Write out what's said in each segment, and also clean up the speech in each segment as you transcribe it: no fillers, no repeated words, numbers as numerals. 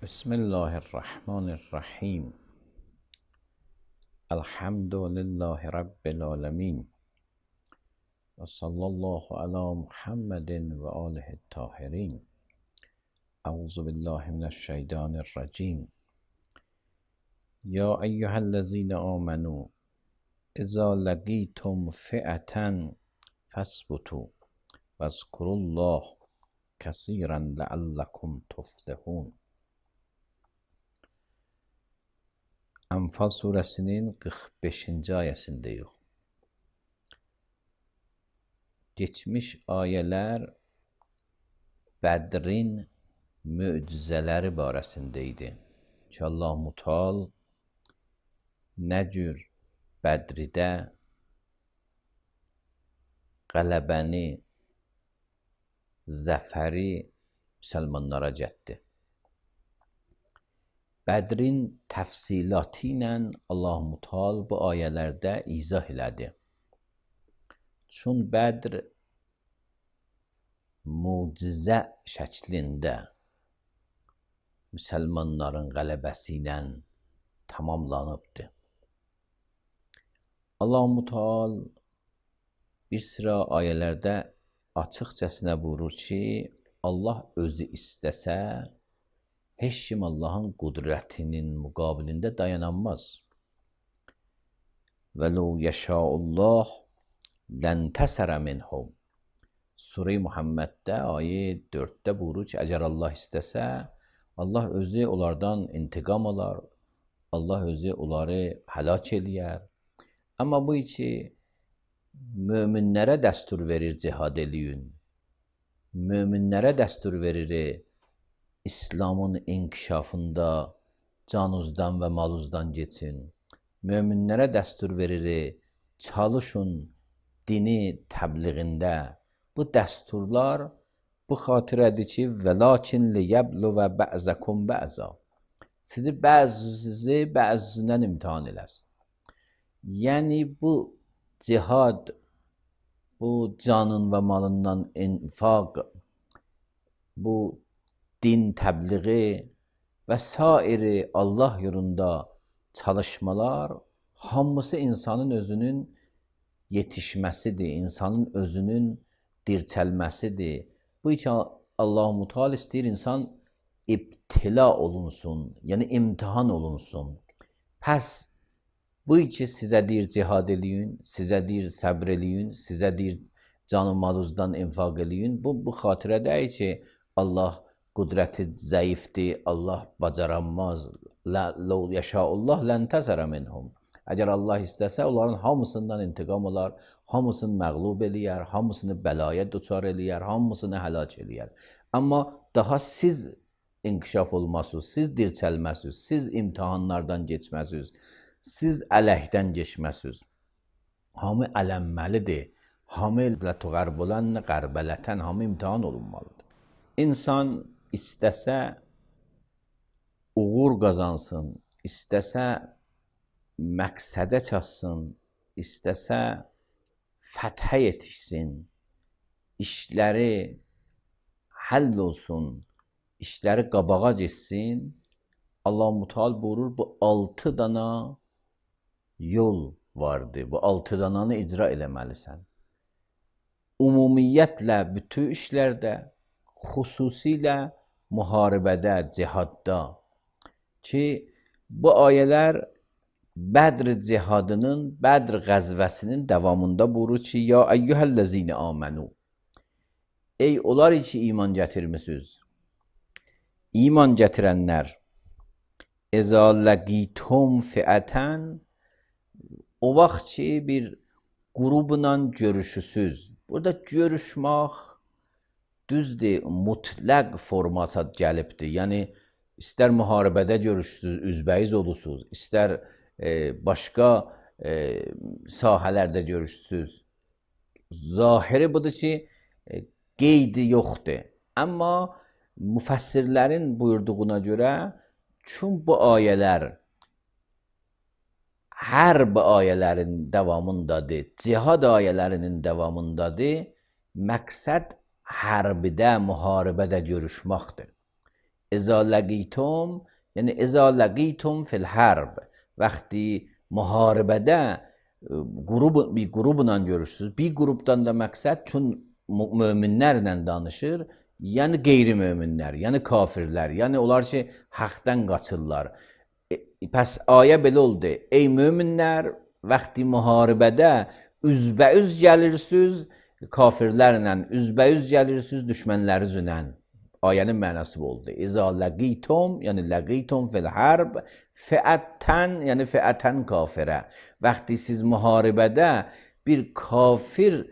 بسم الله الرحمن الرحیم. الحمد لله رب العالمین و صلی الله علی محمد و آله الطاهرین. اعوذ بالله من الشیطان الرجیم. یا ایها الذین آمنوا اذا لقیتم فئة فاثبتوا واذکروا الله کثیرا لعلکم تفلحون. Anfal suresinin 45-ci ayəsindəyik. Geçmiş ayələr Bədrin möcüzələri barəsində idi ki, Allah-u Teala nə cür Bədridə qələbəni, zəfəri müsəlmanlara getdi. Bədrin təfsilatı ilə Allah-u Teala bu ayələrdə izah elədi. Çün Bədr mucizə şəklində müsəlmanların qələbəsi ilə tamamlanıbdı. Allah-u Teala bir sıra ayələrdə açıqcasına buyurur ki, Allah özü istəsə, heç kim Allahın qudrətinin müqabilində dayanamaz. Və ləv yəşəullah ləntəsərə minhum. Surə-i Muhammeddə ayə 4-də buyurur ki, əgər Allah istəsə, Allah özü onlardan intiqam alar, Allah özü onları həlak eləyər. Amma bu ki, möminlərə dəstur verir cihad eləyin, möminlərə dəstur verir İslamın inkişafında canınızdan və malınızdan geçin. Möminlərə dəstur verir, çalışın dini təbliğində. Bu dəsturlar bu xatirədir ki, vəlakin liyəbluvə bə'zəkum bə'zə. Sizi bəzindən imtihan eləsin. Yəni bu cihad, bu canın və malından infaq, bu din təbliği və sairi Allah yolunda çalışmalar hamısı insanın özünün yetişməsidir, insanın özünün dirçəlməsidir. Bu ki Allah-u Teala istəyir insan ibtila olunsun, yəni imtihan olunsun. Pəs bu ki sizə deyir cihad eləyin, sizə deyir səbr eləyin, sizə deyir canı malınızdan infaq eləyin. Bu xatirədəyir ki, Allah qudrəti zəifdir, Allah bacaranmaz. Ləv yəşəullah ləntəsərə minhum. Əgər Allah istəsə, onların hamısından intiqam alar, hamısını məğlub eləyər, hamısını bəlaya duçar eləyər, hamısını həlak eləyər. Amma daha siz inkişaf olmasınız, siz dirçəlməsiniz, siz imtihanlardan geçməsiniz, siz ələkdən geçməsiniz. Hamı ələnməlidir. Hamı lətüqərbulən qərbələtən, hamı imtihan olunmalıdır. İnsan istəsə uğur qazansın, istəsə məqsədə çatsın, istəsə fəthə yetişsin, işləri həll olsun, işləri qabağa geçsin, Allah-u Teala buyurur, bu 6 dana yol vardır, bu 6 dananı icra eləməlisən. Ümumiyyətlə bütün işlərdə, xüsusilə müharibədə, cihadda ki, bu ayələr Bədr cihadının, Bədr qəzvəsinin davamında buyurur ki, ya əyyuhəl-ləzine amenu. Ey onlar ki, iman gətirmisiniz. İman gətirənlər. Əzə ləqitum fiətən. O vaxt ki, bir qrubla görüşüsüz. Burada görüşmək düzdür, mütləq formata gəlibdir. Yəni, istər müharibədə görüşsünüz, üzbəyiz olursunuz, istər başqa sahələrdə görüşsünüz. Zahiri budur ki, qeydi yoxdur. Amma müfəssirlərin buyurduğuna görə, çün bu ayələr hərb ayələrin davamındadır, cihad ayələrinin davamındadır, məqsəd hərbidə, müharibədə görüşməkdir. اذا لقیتم یعنی اذا لقیتم فی الحرب وقتی muharebede bir grubla görürsünüz. Bir gruptan da maksat çün möminlərlə danışır, yəni qeyri-möminlər, yəni kafirlər, yəni onlar ki, haqdan qaçırlar. Pəs ayə belə oldu. Ey möminlər, vaxtı müharibədə üzbəüz gəlirsiniz, kafirlərlə üzbəüz gəlirsiniz, düşmənlərinizlə. Ayənin mənası bu oldu. İza laqitum, yəni laqitum fil harb, fi'atan, yəni fi'atan kafirə. Vaxtı siz müharibədə bir kafir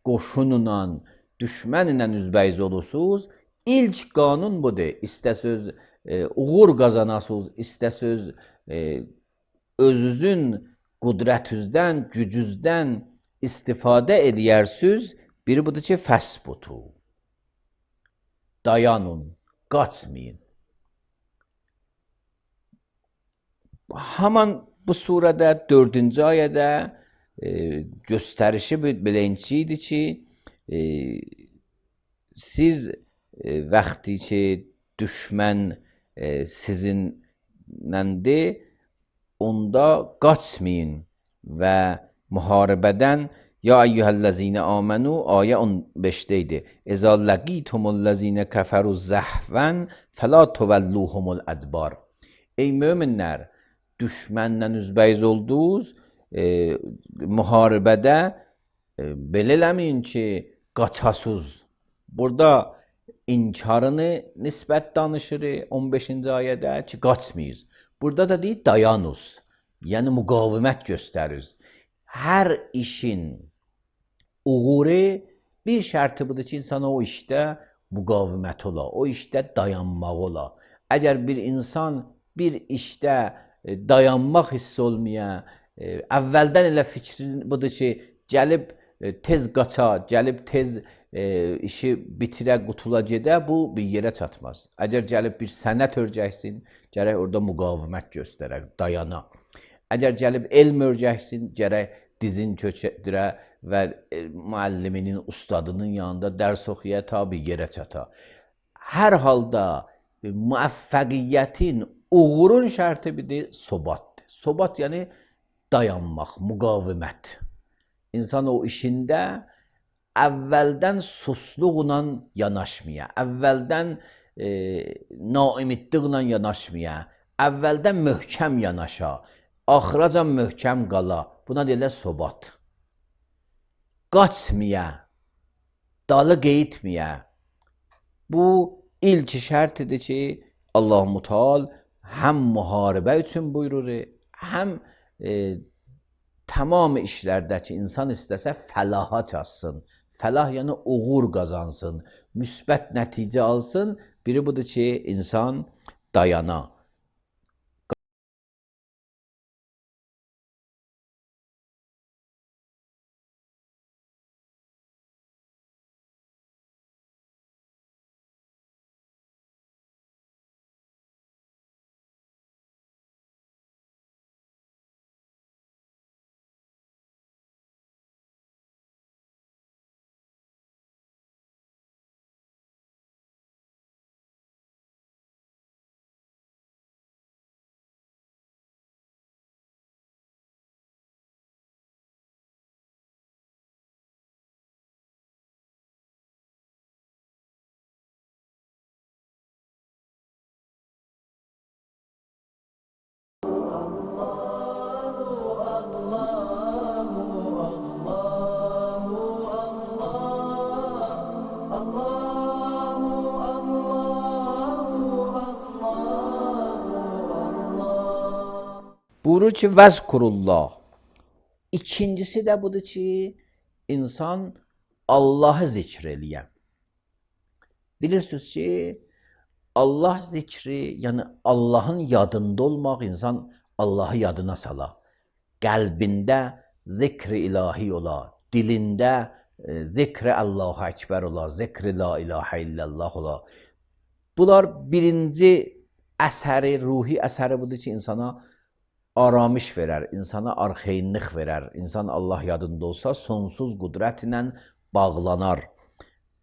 qoşunla, düşmənlə üzbəyiz olursunuz, ilk qanun budur. İstəsöz uğur qazanasınız, istəsöz özünüzün qudrətinizdən, gücünüzdən istifadə edərsiniz. Biri budur ki, fəsbutu. Dayanın, qaçmayın. Haman bu surədə 4-cü ayədə göstərişi beləncə idi ki, siz vaxtı ki düşmən sizinləndir, onda qaçmayın və müharibədən ya eyyuhellezine amenu ayə 15-də idi. İza laqitumul-lezine kafaru zahvan fela tuvelluhumul adbar. Ey möminlər, düşmənlə üzbəyiz oldunuz, müharibədə belə eləməyin ki, qaçasınız. Burada inkarını nisbət danışır 15-ci ayədə ki, qaçmayız. Burada da deyir, dayanız, yəni müqavimət göstəriz. Hər işin uğuru bir şərti budur ki, insana o işdə müqavimət ola, o işdə dayanmaq ola. Əgər bir insan bir işdə dayanmaq hiss olmaya, əvvəldən elə fikrin budur ki, gəlib tez qaça, gəlib tez işi bitirə, qutula gedə, bu bir yerə çatmaz. Əgər gəlib bir sənət örgəksin, gərək orada müqavimət göstərək, dayana. Əgər gəlib elm örgəksin, gərək dizin köçədirə və müəlliminin, ustadının yanında dərs oxuya ta bir yerə çata. Hər halda müvəffəqiyyətin, uğurun şərti bidir, sobatdır. Sobat yəni dayanmaq, müqavimət. İnsan o işində əvvəldən susluqla yanaşmaya, əvvəldən naimidliklə yanaşmaya, əvvəldən möhkəm yanaşa, axıracan möhkəm qala. Buna deyirlər sobat. Qaçmaya, dalı qeyitməyə. Bu ilk şərtidir ki, Allah-u Teala həm müharibə üçün buyurur, həm tamam işlərdə ki, insan istəsə fəlaha çatsın. Fəlah yəni uğur qazansın, müsbət nəticə alsın. Biri budur ki, insan dayana. Buyurur ki, vəzkurullah. İkincisi də budur ki, insan Allahı zikr eləyən. Bilirsiniz ki, Allah zikri, yəni Allahın yadında olmaq, insan Allahı yadına sala. Qəlbində zikri ilahi ola, dilində zikri Allahu Ekber ola, zikri la ilahe illallah ola. Bunlar birinci əsəri, ruhi əsəri budur ki, insana aramış verər, insana arxeynlik verər. İnsan Allah yadında olsa sonsuz qudrət ilə bağlanar.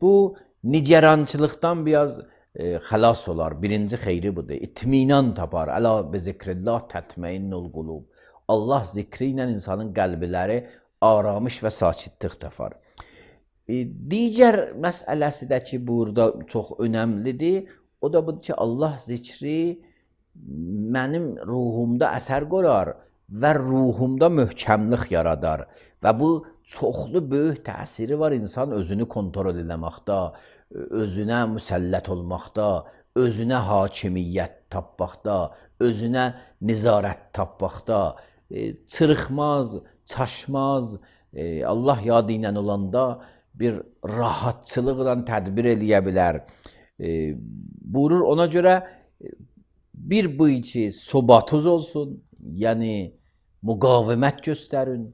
Bu nigerançılıqdan biraz xəlas olar. Birinci xeyri budur. İtminan tapar. Əla bi zikrillah tətmeinnul qulub. Allah zikri ilə insanın qəlbləri aramış və sakitlik tapar. Digər məsələsi də ki, burada çox önəmlidir. O da budur ki, Allah zikri mənim ruhumda əsər qoyar və ruhumda möhkəmlik yaradar. Və bu çoxlu böyük təsiri var insan özünü kontrol eləməkdə, özünə müsəllət olmaqda, özünə hakimiyyət tapmaqda, özünə nizarət tapmaqda, çırıxmaz, çaşmaz, Allah yadı ilə olanda bir rahatçılıqla tədbir eləyə bilər. Buyurur, ona görə bir bu ki, sobatız olsun, yəni müqavimət göstərin,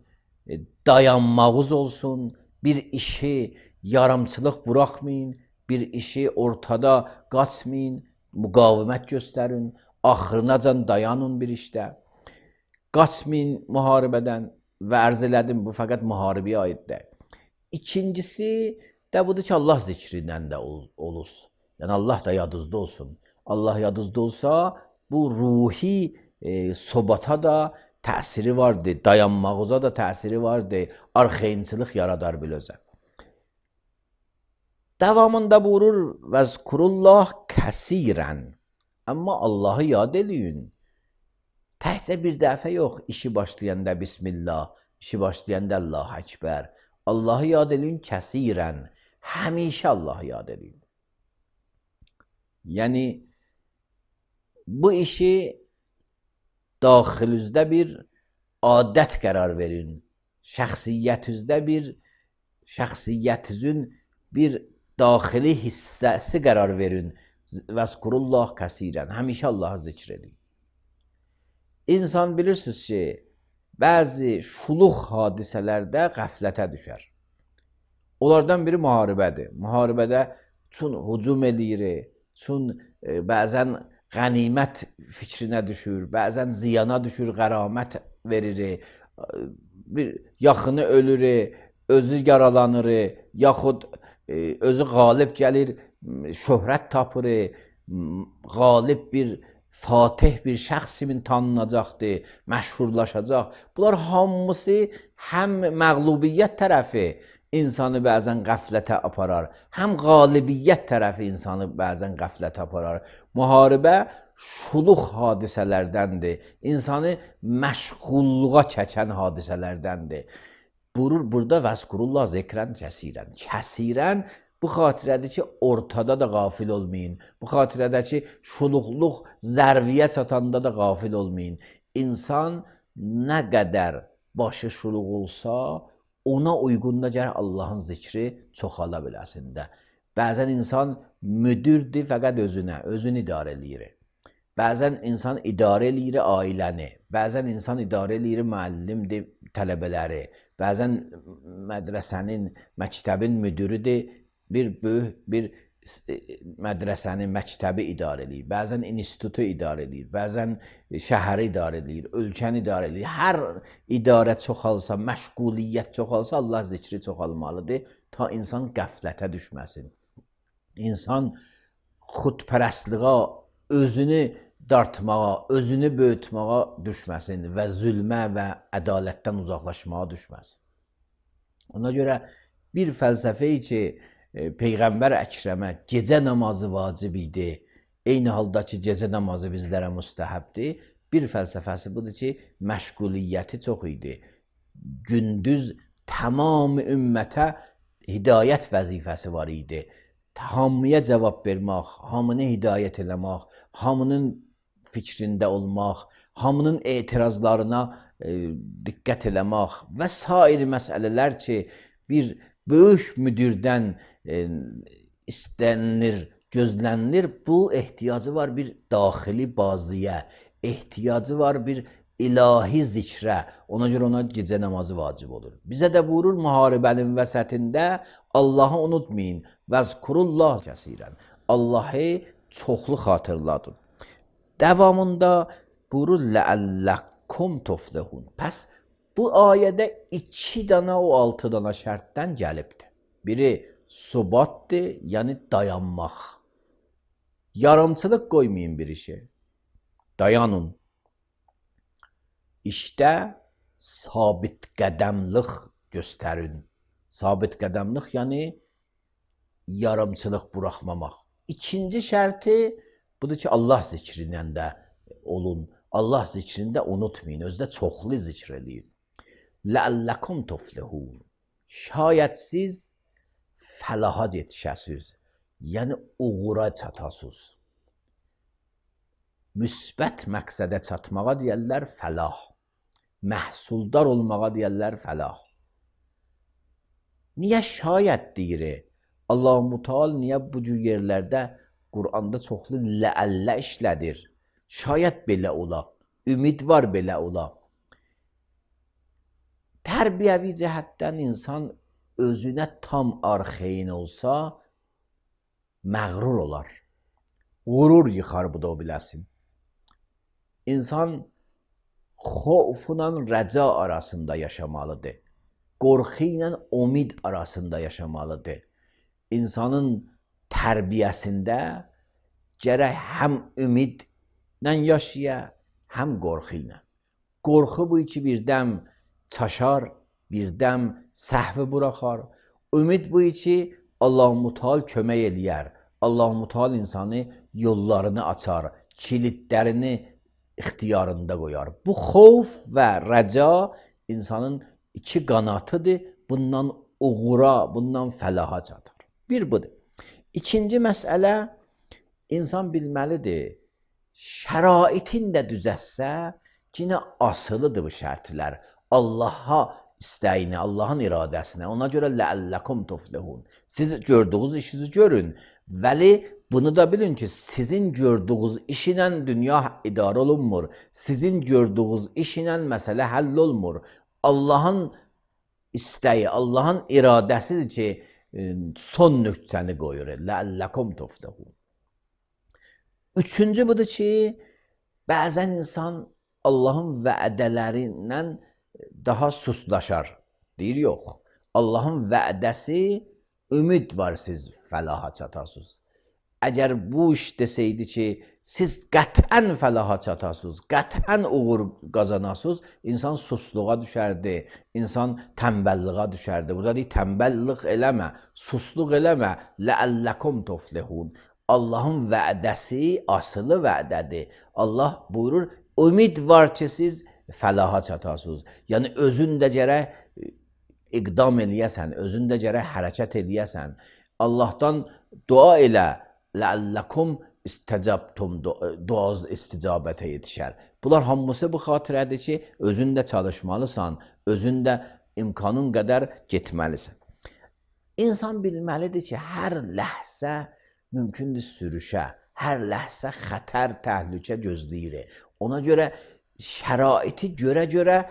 dayanmağız olsun, bir işi yarımçılıq buraxmayın, bir işi ortada qaçmayın, müqavimət göstərin, axırınacan dayanın bir işdə. Qaçmayın müharibədən və ərz elədim, bu fəqət müharibəyə aiddir. İkincisi də budur ki, Allah zikrindən də olursun. Yəni Allah da yadınızda olsun. Allah yadınızda olsa, bu ruhi sobata da təsiri vardır, dayanmağıza da təsiri vardır, arxayınçılıq yaradar bilözə. Davamında buyurur, vəzkurullah kəsirən. Amma Allahı yad eləyin. Təhcə bir dəfə yox, işi başlayanda Bismillah, işi başlayanda Allah-u Ekber. Allahı yad eləyin kəsirən. Həmişə Allahı yad eləyin. Yəni, bu işi daxilinizdə bir adət qərar verin. Şəxsiyyətinizin bir daxili hissəsi qərar verin. Vəzkurullah kəsirən. Həmişə Allahı zikr edin. İnsan bilirsiniz ki, bəzi şuluq hadisələrdə qəflətə düşər. Onlardan biri müharibədir. Müharibədə çün hücum eləyir, çün bəzən qənimət fikrinə düşür, bəzən ziyana düşür, qəramət verir, bir yaxını ölür, özü yaralanır, yaxud özü qalib gəlir, şöhrət tapır, qalib bir fatih bir şəxs kimi tanınacaqdır, məşhurlaşacaq. Bunlar hamısı həm məğlubiyyət tərəfi insanı bəzən qəflətə aparar, həm qalibiyyət tərəfi insanı bəzən qəflətə aparar. Müharibə şuluq hadisələrdəndir, insanı məşğulluğa çəkən hadisələrdəndir. Buyurur, burada vəzkurullah zikrən kəsirən. Kəsirən bu xatirədir ki, ortada da qafil olmayın. Bu xatirədir ki, şuluqluq zərviyə çatanda da qafil olmayın. İnsan nə qədər başı şuluq olsa, ona uyğunda gərək Allahın zikri çoxala biləsində. Bəzən insan müdürdür fəqət özünü idarə eləyir. Bəzən insan idarə eləyir ailəni, bəzən insan idarə eləyir müəllimdir, tələbələri, bəzən mədrəsənin, məktəbin müdürüdür, bir böyük bir mədrəsəni, məktəbi idarə eləyir, bəzən institutu idarə eləyir, bəzən şəhəri idarə eləyir, ölkəni idarə eləyir. Hər idarə çoxalsa, məşğuliyyət çoxalsa, Allah zikri çoxalmalıdır, ta insan qəflətə düşməsin. İnsan xudpərəstliğə, özünü dartmağa, özünü böyütməğa düşməsin və zülmə və ədalətdən uzaqlaşmağa düşməsin. Ona görə bir fəlsəfəyi ki, Peyğəmbər Əkrəmə gecə namazı vacib idi, eyni halda ki, gecə namazı bizlərə müstəhəbdir. Bir fəlsəfəsi budur ki, məşğuliyyəti çox idi. Gündüz tamam ümmətə hidayət vəzifəsi var idi. Hamıya cavab vermək, hamını hidayət eləmək, hamının fikrində olmaq, hamının etirazlarına diqqət eləmək və sair məsələlər ki, bir böyük müdürdən istənilir, gözlənilir. Bu ehtiyacı var bir daxili baziyə, ehtiyacı var bir ilahi zikrə. Ona görə ona gecə namazı vacib olur. Bizə də buyurur müharibənin vəsətində Allahı unutmayın. Vəzkurullah kəsirən. Allahı çoxlu xatırladın. Davamında buyurur ləəlləkum tuflihun. Pəs bu ayədə 2 dana o 6 dana şərtdən gəlibdir. Biri subatdır, yəni dayanmaq. Yarımçılıq qoymayın bir işe. Dayanın. İşte sabit qədəmlik göstərin. Sabit qədəmlik yani yarımçılıq buraxmamaq. İkinci şərti budur ki, Allah zikrindən də olun. Allah zikrində unutmayın. Özdə çoxlu zikr edin. Ləəlləkum tuflihun. Şayət siz fəlaha yetişəsiz. Yəni uğura çatasız. Müsbət məqsədə çatmağa deyərlər fəlah. Məhsuldar olmağa deyərlər fəlah. Niyə şayət deyir? Allah-u Teala niyə bu cür yerlərdə Quranda çoxlu ləəllə işlədir? Şayət belə ola. Ümid var belə ola. Tərbiyəvi cəhətdən insan özünə tam arxeyin olsa məğrur olar. Qurur yıxar bu da o biləsin. İnsan xofla rəca arasında yaşamalıdır. Qorxu ilə umid arasında yaşamalıdır. İnsanın tərbiyəsində gərək həm ümidlə yaşaya, həm qorxu ilə. Qorxu bu iki birdəm çaşar, birdəm səhvi buraxar. Ümid bu iki Allah-u Teala kömək eləyər. Allah-u Teala insanı yollarını açar, kilidlərini ixtiyarında qoyar. Bu xof və rəca insanın iki qanatıdır. Bundan uğura, bundan fəlaha çatar. Bir budur. İkinci məsələ, insan bilməlidir, şəraitin də düzəlsə, yine asılıdır bu şərtlər. Allah'a istəyini, Allah'ın iradəsinə. Ona görə ləəlləkum tuflihun. Siz gördüğünüz işinizi görün. Vəli bunu da bilin ki, sizin gördüğünüz iş ilə dünya idarə olunmur. Sizin gördüğünüz iş ilə məsələ həll olmur. Allah'ın istəyi, Allah'ın iradəsidir ki, son nöqtəni qoyur. Ləəlləkum tuflihun. Üçüncü budur ki, bəzən insan Allah'ın vədələrindən daha suslaşar. Deyir, yox. Allah'ın vədəsi ümid var siz fəlaha çatasınız. Əgər bu iş deseydi ki, siz qətən fəlaha çatasınız, qətən uğur qazanasınız, insan susluğa düşərdi, insan tənbəlliğə düşərdi. Burada deyir, tənbəlliq eləmə, susluq eləmə, ləəlləkum tuflihun. Allah'ın vədəsi asılı vədədir. Allah buyurur, ümid var ki, siz fəlaha çatasınız. Yəni, özün də gərək iqdam eləyəsən, özün də gərək hərəkət eləyəsən. Allah'tan dua elə, ləəlləkum istəcabtum, duaz isticabətə yetişər. Bunlar hamısı bu xatirədir ki, özün də çalışmalısan, özün də imkanın qədər getməlisən. İnsan bilməlidir ki, hər ləhsə mümkündür sürüşə, hər ləhsə xətər, təhlükə gözləyir. Ona görə şəraiti görə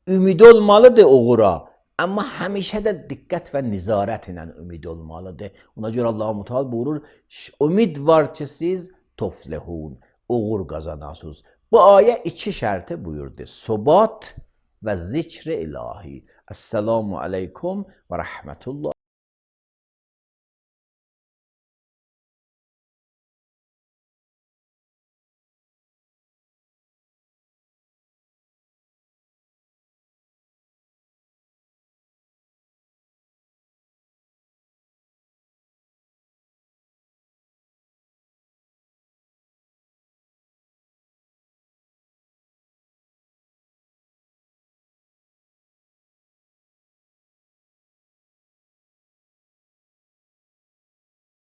ümid olmalıdır uğura. Amma həmişə də diqqət və nizarət ilə ümid olmalıdır. Ona görə Allah-u Teala buyurur, ümid var ki, siz tuflihun, uğur qazanasınız. Bu ayə iki şərti buyurdu. Sobat və zikr-i ilahi. Esselamu aleykum və rəhmətullah.